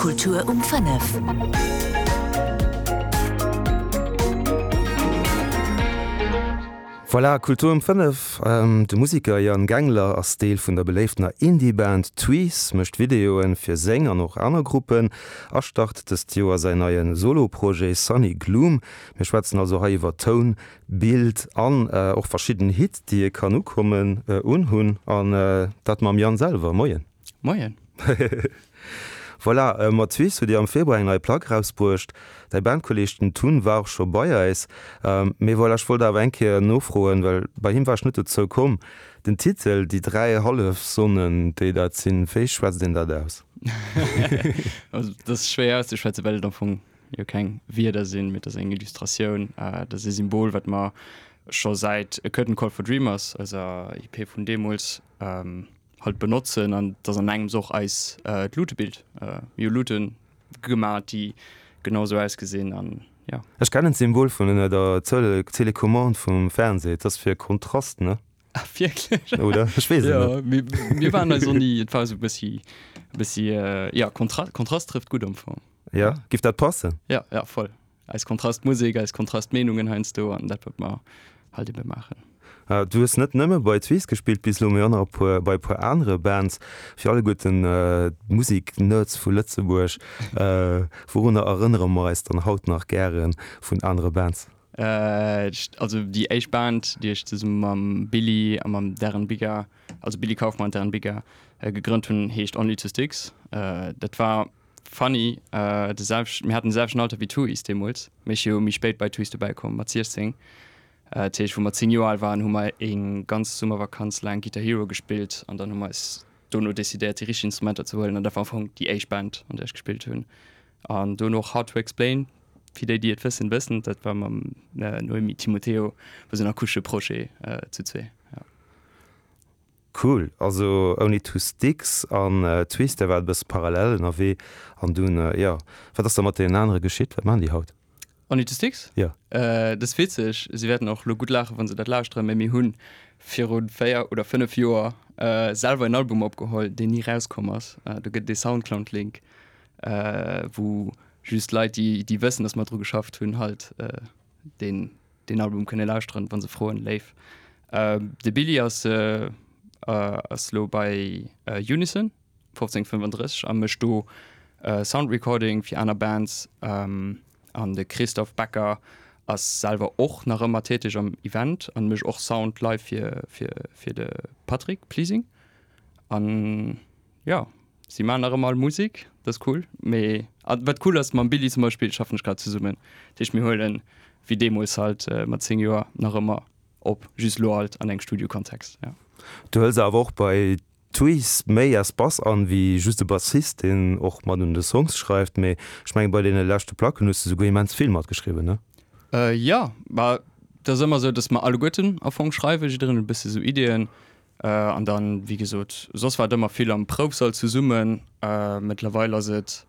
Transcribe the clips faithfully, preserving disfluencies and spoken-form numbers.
Kultur um fënnef. Voilà, Kultur um fënnef. De Museker Yann Gangler ass Deel vun der beléiftener Indie-Band Tweez, mécht Videoen fir seng an och aner Gruppen a start dëst Joer säin neie Solo-Projet Sunny Gloom. Mir schwätzen also hei iwwer Toun, Bild an och verschidden Hitt, déi ee kann ukommen, unhunn. An dat mam Yann selwer. Moien. Moien. Voilà, mat Tweez hutt Dir am Februar eng nei Plack erausbruecht. Däi Bandkolleeg den Tun war och scho bei eis. Mee voilà, ech wollt awer eng Kéier nofroen, well bei him war ech net dozou komm. Den Titel Déi dräi Hallefsonnen, déi dat sinn, wéi schwätzt een dat aus? Also, dat ass schwéier auszeschwätzen, well et am Fong jo keng Wierder sinn, mee et ass eng Illustratioun. Dat ass e Symbol, wat mer scho säit A Curtain Call for Dreamers, eiser EP vun deemools, halt benotzen an dass an engems och eis d'Lutebild, mir hu Lute gemaat déi genau sou ausgesinn an jo. Ech kennen d'Symbol vun ënner der Telecommande vum Fernseh, et ass fir Kontrast, ne? Ah wierklech? Oder? Ech weess et net. Jo, mir waren eis och ni, et war esou e bëssi, e bëssi, jo Kontrast trëfft gutt am Fong. Jo, giff dat passen? Jo, jo voll. Eis Kontrastmusek, eis Kontrastmeenungen heiansdo an dat wat mer halt ebe maachen. Du hues net nëmme bei Tweez gespillt bis elo, mee och nach e puer bei e puer anere Bands. Fir alleguerten d'Musek-Nerds vu Lëtzebuerg, wourunner erënnere mer eis dann haut nach gäre vun anere Bands? Also déi éischt Band, déi ech zesumme mam Billy a mam Darren Bigger, also Billy Kaufmann an Darren Bigger, gegrënnt hunn, heescht Only Two Sticks. Dat war Funny, de selwechten, mir haten de selwechten Alter wéi Tuys deemools, mee ech si jo méi spéit bei Tuys dobäi komm, mat siechzéng. Dat heescht, wou mer zéng Joer al waren, hu mer eng ganz Summervakanz laang Guitar Hero gespillt an dann hu mer eis dono decidéiert, déi richteg Instrumenter ze huelen an dat war am Fong déi éischt Band, an där ech gespillt hunn. An dono och Hard to Explain, fir déi, déi et wëssen, wëssen et, dat war mam Noémie Timoteo, war esou en akustesche Projet zu zwee, jo. Cool, also Only Two Sticks an Twist, där war e bësse parallel ënnerwee an dunn, jo, wat ass da mat deenen anere geschitt? Wat maachen déi haut? Only Two Sticks? Jo. Dat ass witzeg, si wäerten och elo gutt laachen, wa se dat lauschteren, mä mir hu viru véier oder fënnef Joer selwer en Album opgeholl, deen ni erauskomm ass. Do gëtt et ee Soundcloud-Link, wou just Leit, déi déi wëssen, datt mer dru geschafft hunn, halt deen deen Album kënne lauschteren, wa se froen, léif. De Billy ass ass lo bei Unison fofzéng fënnefandrësseg a mécht do Sound Recording fir aner Bands. An de Christophe Becker ass selwer och nach ëmmer täteg am Event an mécht och Sound live fir fir fir de Patrick Pleasing. An jo, si maachen nach ëmmer all Musek, dat ass cool. Mee a wat cool ass, mam Billy zum Beispill schaffen ech grad zesummen. Dat heescht mir huelen, wéi deemools halt mat zéng Joer, nach ëmmer Op just lo alt an engem Studiokontext, ja. Du hëls awer och bei Tweez méi Espace an wéi just e Bassist, deen och mat un de Songs schreift. Mee ech mengen bei deene leschte Placken hues de souguer immens vill matgeschriwwen, ne? Jo, ma et ass ëmmer esou, datt mer alleguerten am Fong schreiwen, jiddereen huet e bësse sou Ideeën. An dann, wéi gesot, soss war et ëmmer vill am Proufsall zesummen. Mëttlerweil ass et,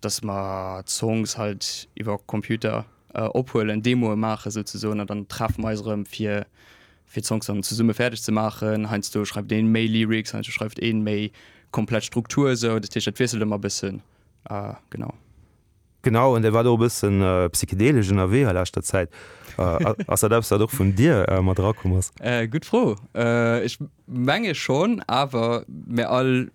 datt mer d'Songs halt iwwer Computer ophuelen, Demoe maachen souzesoen an dann treffe mer eis erëm fir fir d'Songs dann zesumme fäerdeg ze maachen. Heiansdo schreift een méi Lyrics, heiansdo schreift een méi komplett Struktur esou. Dat heescht dat wiesselt ëmmer e bëssen, genau. Genau, an Dir waart och e bëssen psychedelesch ënnerwee a leschter Zäit. Ass dat eppes wat och vun dir mat erakomm ass? Gutt Fro. Ech menge schonn, awer mir all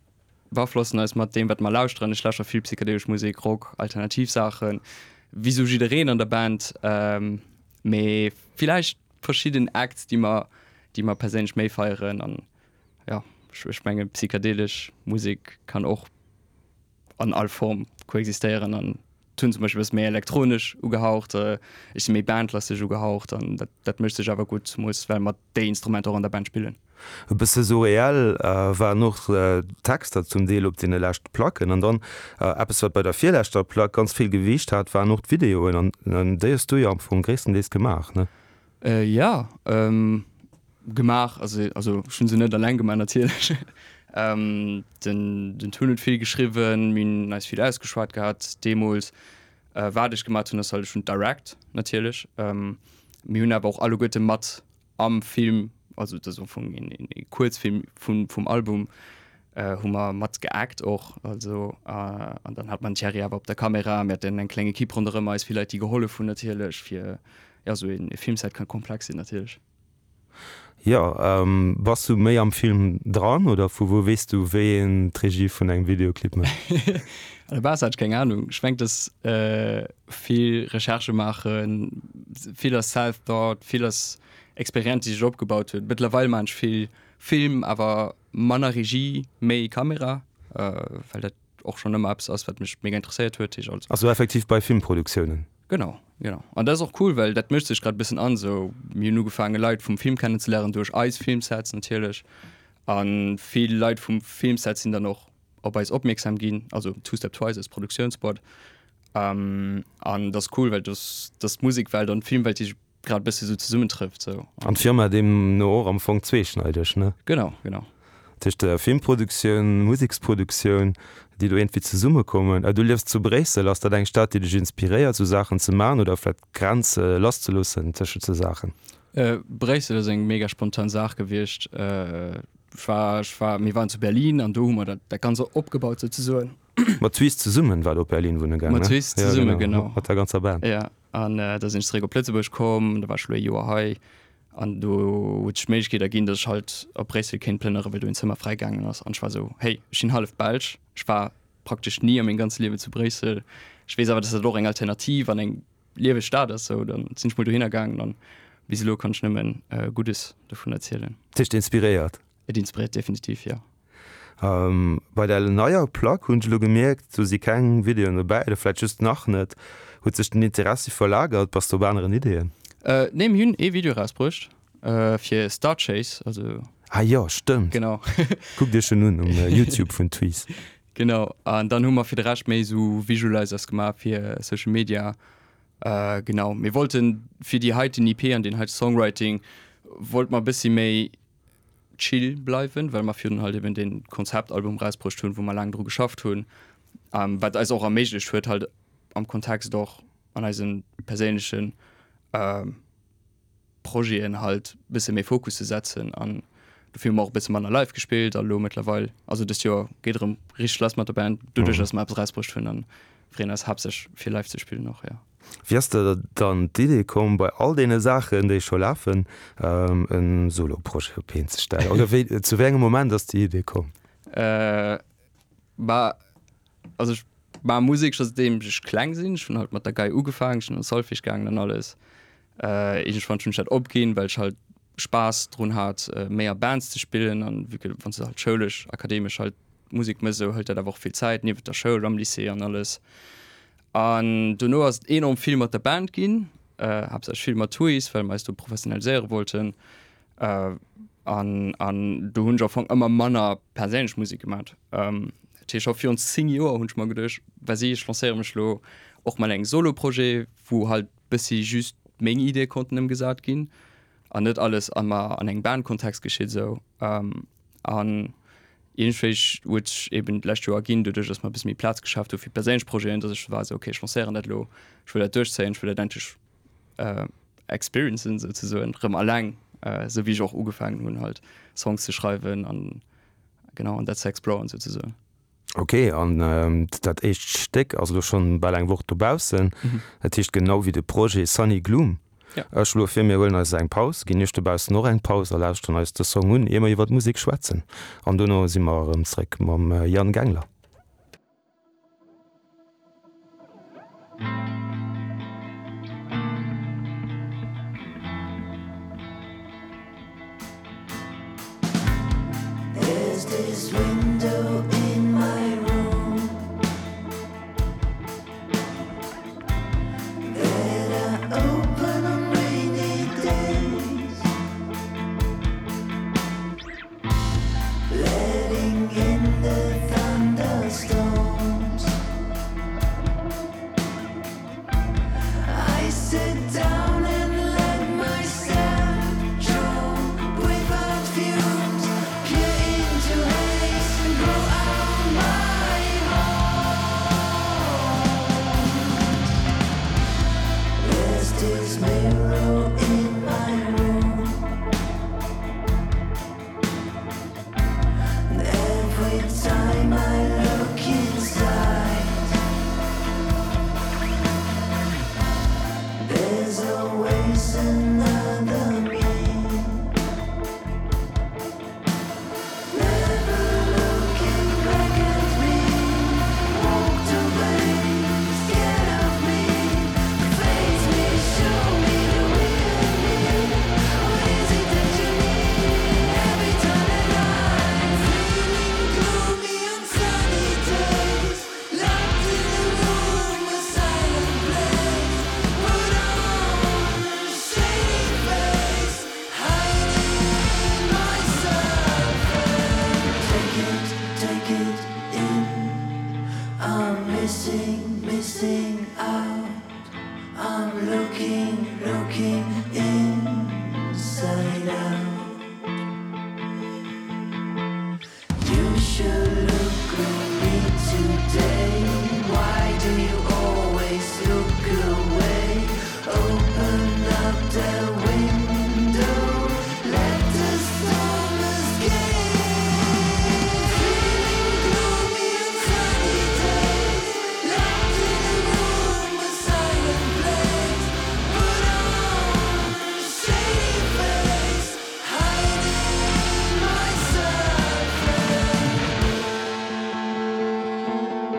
beaflossen eis mat deem wat mer lauschteren. Ech lauschteren vill psychedelesch Musek, Rock, alternativ Saachen, wéi sou jiddereen an der Band, mee villäicht verschidden Acts déi mer déi mer perséinlech méi feieren an jo, ech menge psychedelesch Musek kann och an all Form koexistéieren an hunn zum Beispill e bësse méi elektronesch ugehaucht, ech si méi bandlasteg ugehaucht an dat dat mécht sech awer gutt, zemools well mer déi Instrumenter och an der Band spillen. E bësse surreal waren och d'Texter zum Deel op deene leschte Placken. An dann eppes wat bei der virleschter Plack ganz vill Gewiicht hat, waren och d'Videoen an déi hues du jo am Fong gréisstendeels gemaach, ne? Jo, gemaach, also also ech hunn se net alleng gemaach natierlech. Den den Tun huet vill geschriwwen, mir hunn eis vill ausgeschwat gehat deemools. Wat ech gemaach hunn ass halt, ech hunn direct natierlech, mir hunn awer och alleguerte mat am Film, also dat ass am Fong een een Kuerzfilm vun vum Album, hu mer mat geact och, also an dann hat mer den Thierry awer op der Kamera, mir haten eng kleng Equipe ronderëm eis, vill Leit déi gehollef hunn natierlech fir, jo esou ee Filmset kann komplex sinn natierlech. Jo, bass du méi am Film dran oder vu wou weess du wéi een d'Regie vun engem Videoclip mécht? An der Base hat ech keng Ahnung. Ech mengt dass vill Recherchë maachen, vill ass self-taught, vill ass Experienz déi sech opgebaut huet. Mëttlerweil maan ech vill Film, awer manner Regie, méi Kamera, well dat och schonn ëmmer eppes ass, wat mech mega interesséiert huet. Heescht also. Also effektiv bei Filmproduktiounen? Genau, genau. An dat ass och cool, well dat mëscht sech grad e bëssen an. Sou, mir hunn ugefaange Leit vum Film kennenzeléieren duerch eis Filmsets natierlech. A vill Leit vum Filmset sinn dann och op eis opmierksam ginn, also Two Step Twice als Produktiounsboîte. An dat ass cool, well dass d'Musekwelt an d'Filmwelt, déi sech grad bëssi sou zesummentrëfft sou. An d'Firma deemno och am Fong zweeschneideg, ne? Genau, genau. Tëscht der Filmproduktioun, Museksproduktioun, déi do iergendwéi zesummekommen. Du liefs zu Bréissel, ass dat eng Stad, déi dech inspiréiert, sou Saachen ze maachen oder vläicht d'Grenze lasszeloossen tëschent sou Saachen? Bréissel ass eng mega spontan Saach gewiescht. Ech war, ech war, mir waren zu Berlin an do hu mer dat, dat Ganze opgebaut souzesoen. Mat Twist zesummen war der op Berlin wunne gaangen, ne? Mat Twist zesumme, genau. Mat der ganzer Band. Ja. An da sinn ech zeréck op Lëtzebuerg komm, da war ech elo ee Joer hei an do huet sech d'Méiglechkeet erginn, datt ech halt op Bréissel kéint plënnere well do een Zëmmer fräi gaangen ass. An ech war esou, hey, ech sinn hallef Belsch, ech war praktesch ni a mengem ganze Liewen zu Bréissel, ech weess awer, datt dat och eng Alternativ an eng lieweg Stad ass, sou, dann sinn ech mol dohinner gaangen an bis elo kann ech nëmmen Guddes dovun erzielen. Dat heescht inspiréiert? Et inspiréiert definitiv, jo. Bei der neier Plack hunn ech elo gemierkt, do si keng Videoen dobäi, oder vläit just nach net. Huet sech den Interessi verlagert? Bass de op aneren Ideeën? Nee, mir hunn ee Video erausbruecht fir Star Chase, also. Ah jo, stëmmt. Genau. Kuckt iech en un um Youtube vun Tweez. Genau, an dann hu mer fir de Rescht méi esou Visualizers gemaach fir Social Media. Genau, mir wollten fir déi heiten EP an deen heite Songwriting wollte mer e bëssi méi chill bleiwen, well mer virun halt eben dee Konzeptalbum erausbruecht hunn, wou mer laang dru geschafft hunn, wat eis och erméiglecht huet, halt am Kontext och an eise perséinleche Projeten halt bësse méi Fokus ze setzen an dofir hu mer och e bësse manner live gespillt a lo mëttlerweil, also dëst Joer geet erëm richteg lass mat der Band, doduerch datt mer eppes erausbruecht hunn an freeën eis haaptsächlech fir live ze spillen och, jo. Wéi ass der dann d'Idee komm, bei all deene Saachen, déi scho lafen, e Solo-Projet op d'Been ze stellen? Oder wéi, zu wéi engem Moment ass déi Idee komm? Bah, also ech maache Musek scho säitdeem ech kleng sinn. Ech hunn halt mat der Gei ugefaangen, ech sinn an Solfège gaangen an alles. Iergendwann hunn ech dat opginn, well ech halt Spaass drun hat, méi a Bands ze spillen an vu que wann s de halt schoulesch, akademesch halt Musek méchs, esou hëlt dat awer och vill Zäit, niewent der Schoul, am Lycée an alles. An dono ass et enorm vill mat der Band ginn, haaptsächlech vill mat Tuis, well mer eis do professionaliséiere wollten. An an do hunn ech am Fong ëmmer manner perséinlech Musek gemat. Dat heescht, scho virun zéng Joer hunn ech mer geduecht, vas-y, ech lancéiere mech elo och mat engem Solo-Projet, wou halt bëssi just meng Ideeë konnten ëmgesat ginn an net alles ëmmer an engem Bandkontext geschitt esou. An iergendwéi huet sech eben d'lescht Joer erginn, doduerch datt mer e bësse méi Plaz geschaaft hu fir perséinlech Projeten, datt ech war esou, okay, ech lancéieren dat elo, ech wëll dat duerchzéien, ech wëll dat endlech experiencen souzesoen, erëm alleng, esou wéi ech och ugefaangen hunn halt Songs ze schreiwen an genau an dat ze exploren souzesoen. Ok, an dat éischt Stéck ass elo schonn bal eng Woch dobaussen. Dat heescht genau wéi de Projet Sunny Gloom. Ech schloe vir, mir huelen eis eng Paus, ginn iech dobaussen och eng Paus a lauschteren eis de Song un, ier mer iwwer d'Musek schwätzen. An dono si mer erëm zréck mam Yann Gengler. Missing, missing out. I'm looking, looking inside out. You should look gloomy today. Why do you always look away? Open up the window, let the storm escape. Feeling gloomy and sunny days, locked in a room, a silent place. Put on a shady face, hiding my suffering. Look into my eyes.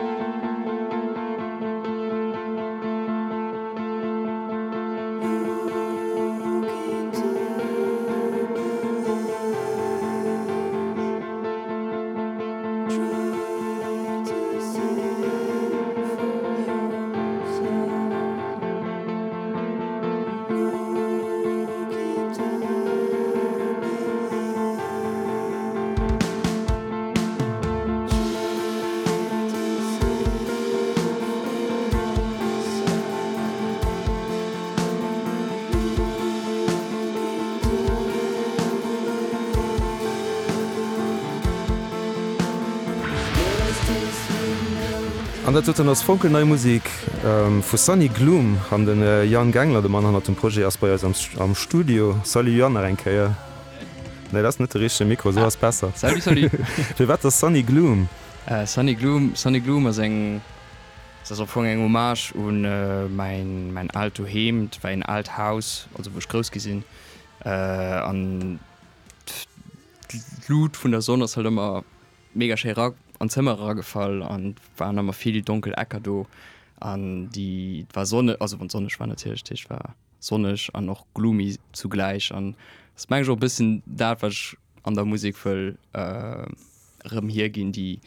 Try to see for yourself. Look into my eyes. Try to see for yourself. Look into There's this window. An dat doten ass fonkelnei Musek vu Sunny Gloom an den Yann Gangler, de Mann hannert dem Projet, ass bei eis am, am Studio. Salut Yann nach eng Kéier. Nee, dat ass net de richtege Mikro, sou ass besser. Salut, salut. Firwat ass Sunny Gloom? Äh, Sunny Gloom, Sunny Gloom ass eng dat ass am Fong eng Hommage un äh, mäin mäin aalt Doheem, dat war en aalt Haus, also wou ech grouss gi sinn. Äh, an d'Luut vun der Sonn ass halt ëmmer mega schéi ra an d'Zëmmer eragefall an waren ëmmer vill donkel Ecker do an déi war Sonne also wann sonneg war natierlech dat heescht war sonneg an och gloomy zugläich an dat mengen ech och e bëssen dat wat ech an der Musek wëll äh, erëm hierginn déi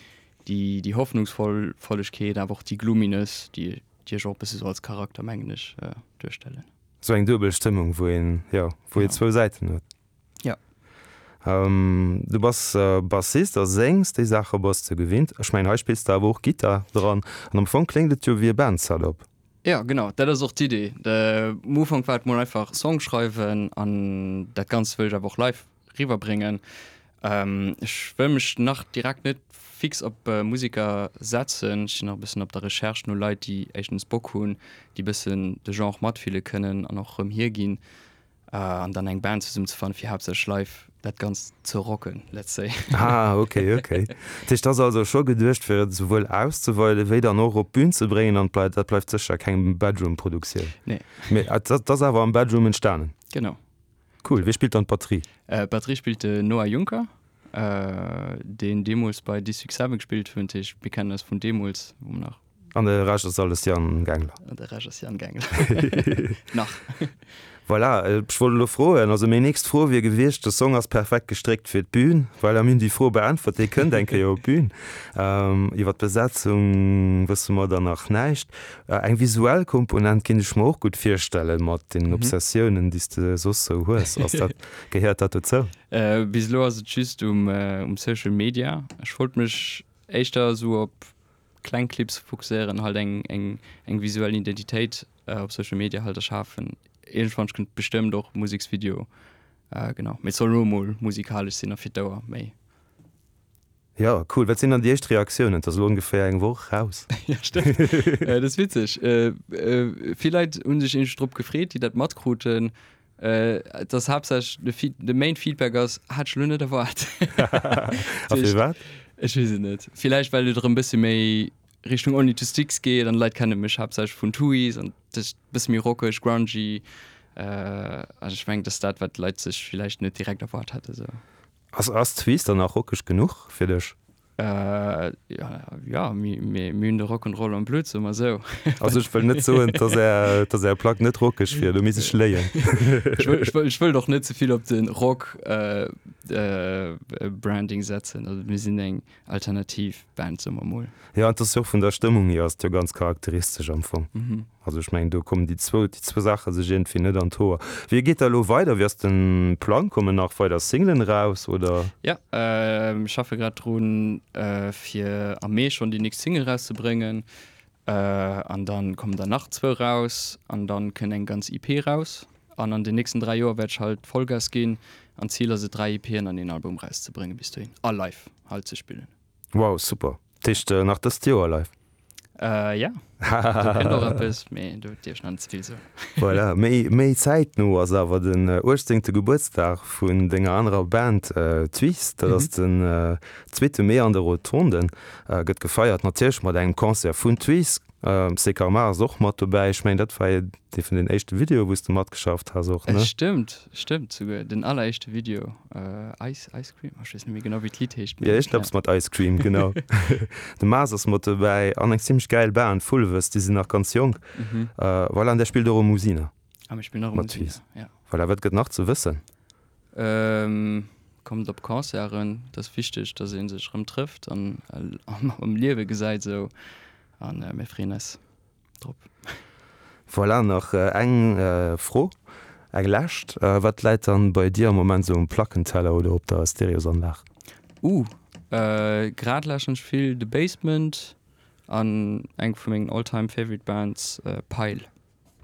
déi déi Hoffnungsvoll Vollegkeet awer och déi Gloominess déi déi ech och e bësse sou als Charakter mengen ech äh, duerstellen. Sou eng duebel Stëmmung wou een jo wou een Genau. zwou Säiten huet. Ja. Ähm, du bass äh, Bassist a séngs, déi Saache bass de gewinnt. Ech mengen hei spills de awer och Gittar dran an am Fong kléngt et jo wéi e Band-Setup. Ja, genau, dat ass och d'Idee. De um Ufank war et mol einfach Song schreiwen an dat Ganzt wëll ech awer och live riwwerbréngen. Ähm, ech wëll mech nach direkt net fix op äh, Musiker setzen. Ech sinn nach e bëssen op der Recherche no Leit, déi éischtens Bock hunn, déi bëssen de Genre matfille kënnen an och erëm hierginn. Äh, an dann eng Band zesummenzefannen, fir haaptsächlech live dat Ganzt ze rocken, let's say. Ah, okay, okay. Dat heescht, dat ass also scho geduecht fir et souwuel auszeweiden, wéi dann och op d'Bün ze bréngen an bleift, dat bleift sécher keng Bedroom-Produktioun. Nee. Mee dat, dat ass awer am Bedroom entstanen. Genau. Cool, wie spillt dann d'Batterie? Äh, Batterie spillt de Noah Juncker, äh, deen deemools bei District Seven gespillt huet, dat heescht, mir kennen eis vun deemools, wou mer nach An de Rescht ass alles Yann Gangler. An de Rescht ass Yann Gangler. Nach. Voilà, ech wollt elo froen, also meng nächst Fro wier gewiescht, de Song ass perfekt gestréckt fir d'Bün, well mir hunn déi Fro beäntwert, dee kënnt eng Kéier op d'Bün. Ähm, iwwer d'Besetzung wësse mer dann nach näischt. Äh, eng visuell Komponent kéint ech mer och gutt virstellen mat den Mhm. Obsessiounen, déi s de soss sou hues. Ass dat, gehéiert dat dozou? Äh, bis elo ass et just um, äh, um Social Media. Ech wollt mech éischter sou op kleng Clips fokusséieren, halt eng, eng, eng visuell Identitéit äh, op Social Media halt erschafen. Iergendwann kënnt bestëmmt och Museksvideo. Äh, genau. Mee et soll elo mol musikalesch sinn a fir d'Ouer méi. Ja, cool. Wat sinn dann déi éischt Reaktiounen? Dat ass elo ongeféier eng Woch raus. Ja, stëmmt. äh, dat ass witzeg. Äh, äh, vill Leit hunn sech iergendwéi drop gefreet, déi dat matkruten. Äh, dat ass haaptsächlech de Feed de Main Feedback ass, hat ech elo net erwaart. A firwat? Ech weess et net. Villäicht well et erëm bësse méi Richtung Only to Sticks geet an Leit kenne mech haaptsächlech vun Tuys an dat ass bësse méi rockeg, grungy. Äh, also ech mengen, dat ass dat, wat d'Leit sech villäicht net direkt erwaart hätte sou. Ass, ass Tuys dann nach rockeg genuch fir dech? Äh, ja, ja, mir, mir, mir hunn de Rock'n'Roll am Blutt, soe mer sou. Also ech wëll net soen, dass är, dass är Plack net rockeg wier, do misst ech léien. Ech wëll, ech wëll, ech wëll och net ze vill op de Rock äh, äh, Branding setzen. Also mir sinn eng alternativ Band, soe mer mol. Ja, an dat ass jo och vun der Stëmmung hier ass et jo ganz charakteristesch am Fong. Mhm. Also ech mengen, do kommen déi zwou, déi zwou Saache sech iergendwéi net an d'Hoer. Wéi geet da elo weider? Wéi ass de Plang? Kommen nach weider Singlen raus oder? Ja, äh, ech schaffe grad drun, äh, fir am Mee schonn déi nächst Single rauszebréngen. An dann kommen der nach zwou raus an dann kënnt eng ganz EP raus. An an den nächsten dräi Joer wäert ech halt Vollgas ginn an d'Zil ass et dräi EPen an een Album rauszebréngen bis dohin a live halt ze spillen. Wow, super. Dat heescht nach dëst Joer live? Äh, ja. Do kënnt och eppes, mee do dierf ech nach net ze vill soen. Voilà, méi, méi zäitno ass awer den uechtzéngte Gebuertsdag vun denger anerer Band Twist. Dat ass den zweete Mee an de Rotonden. Gëtt gefeiert natierlech mat engem Concert vun Twist. Sekarma ass och mat dobäi. Ech mengen, dat war ee vun den éischte Videoe wou s de matgeschafft has och, ne? Stëmmt, stëmmt souguer. Den alleréischte Video, Ice, Ice Cream, ech weess net méi genau wéi d'Lidd heescht, mee. Jo, iergendeppes mat Ice Cream, genau. De Mars ass mat dobäi an eng zimmlech gäil Band, Fulves, déi sinn nach ganz jonk. Voilà, an där spillt och um Musina. A mir spillen och um Musina, ja. Voilà, wat gëtt nach ze wëssen? Kommt op Concerten, et ass wichteg, dass ee sech erëm trëfft an am Liewe gesäit esou. An mir freeën eis drop. Voilà, nach eng Fro, eng lescht. Wat läit dann bei dir am Moment sou um Plackenteller oder op der Stereosanlag? Uh, grad lauschteren ech vill The Basement an eng vu mengen all time favorite Bands, Pile.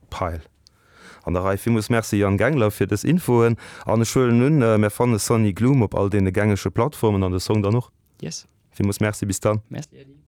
Pile. An der Rei. Villmools Merci Yann Gengler fir dës Infoen. An ech huelen un, mär fanne Sunny Gloom op all deene gängege Plattformen an de Song dann och. Yes. Villmools Merci, bis dann. Merci Äddi.